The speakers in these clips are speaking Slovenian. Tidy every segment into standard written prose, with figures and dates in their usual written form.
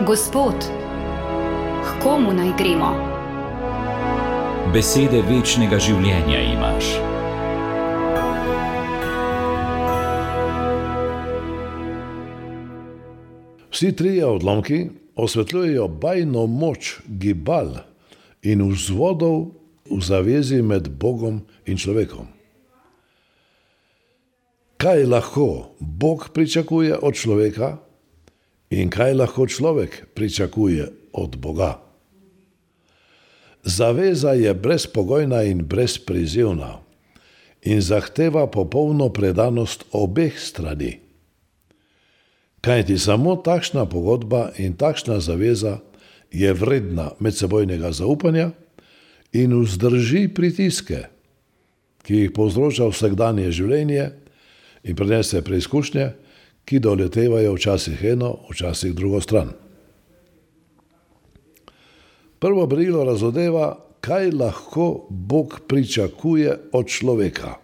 Gospod, k komu naj gremo? Besede večnega življenja imaš. Vsi trije odlomki osvetljujejo bajno moč gibal in vzvodov v zavezi med Bogom in človekom. Kaj lahko Bog pričakuje od človeka in kaj lahko človek pričakuje od Boga? Zaveza je brezpogojna in brezprizivna in zahteva popolno predanost obeh strani. Kajti samo takšna pogodba in takšna zaveza je vredna medsebojnega zaupanja in vzdrži pritiske, ki jih povzroča vsakdanje življenje in prinese preizkušnje, ki doletevajo včasih eno, včasih drugo stran. Prvo berilo razodeva, kaj lahko Bog pričakuje od človeka.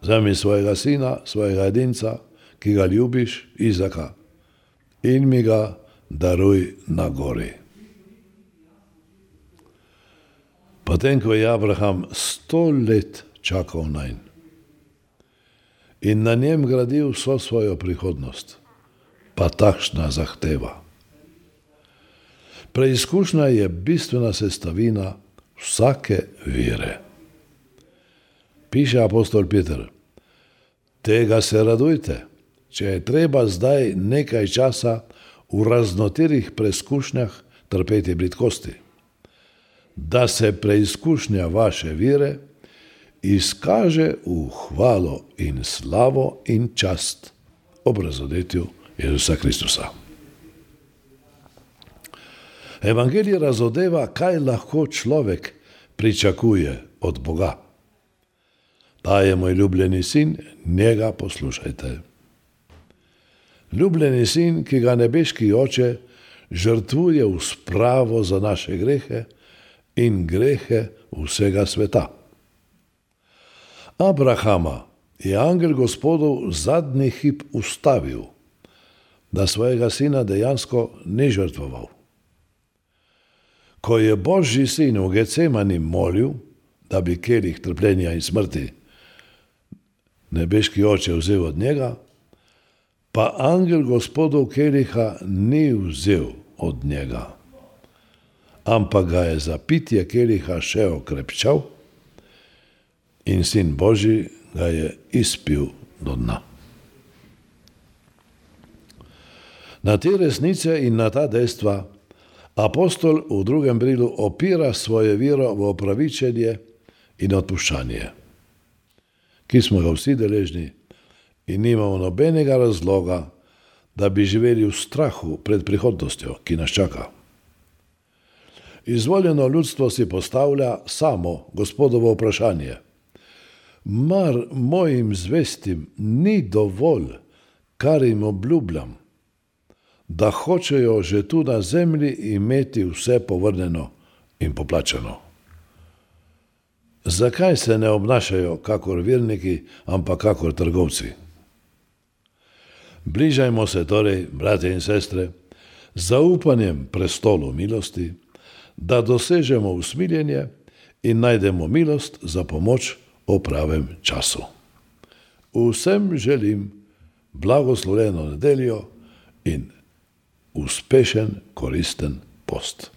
Vzemi svojega sina, svojega edinca, ki ga ljubiš, Izaka, in mi ga daruj na gori. Potem, ko je Abraham 100 let čakal nanj in na njem gradil vso svojo prihodnost, pa takšna zahteva. Preizkušnja je bistvena sestavina vsake vere. Piše apostol Peter, tega se radujte, če je treba zdaj nekaj časa v raznoterih preizkušnjah trpeti bridkosti, da se preizkušnja vaše vere izkaže v hvalo in slavo in čast ob razodetju Jezusa Kristusa. Evangelij razodeva, kaj lahko človek pričakuje od Boga. Ta je moj ljubljeni sin, njega poslušajte. Ljubljeni sin, ki ga nebeški oče žrtvuje v spravo za naše grehe in grehe vsega sveta. Abrahama je angel Gospodov zadnji hip ustavil, da svojega sina dejansko ni žrtvoval. Ko je Božji sin v Getsemani molil, da bi kelih trpljenja in smrti nebeški oče vzel od njega, pa angel Gospodov keliha ni vzel od njega, ampak ga je za pitje keliha še okrepčal in sin Božji ga je izpil do dna. Na te resnice in na ta dejstva apostol v drugem berilu opira svoje vero v opravičenje in odpuščanje, ki smo ga vsi deležni in nimamo nobenega razloga, da bi živeli v strahu pred prihodnostjo, ki nas čaka. Izvoljeno ljudstvo si postavlja samo Gospodovo vprašanje. Mar mojim zvestim ni dovolj, kar jim obljubljam, da hočejo že tu na zemlji imeti vse povrnjeno in poplačano? Zakaj se ne obnašajo kakor verniki, ampak kakor trgovci? Bližajmo se torej, bratje in sestre, z zaupanjem prestolu milosti, da dosežemo usmiljenje in najdemo milost za pomoč v pravem času. Vsem želim blagoslovljeno nedeljo in uspešen, koristen post.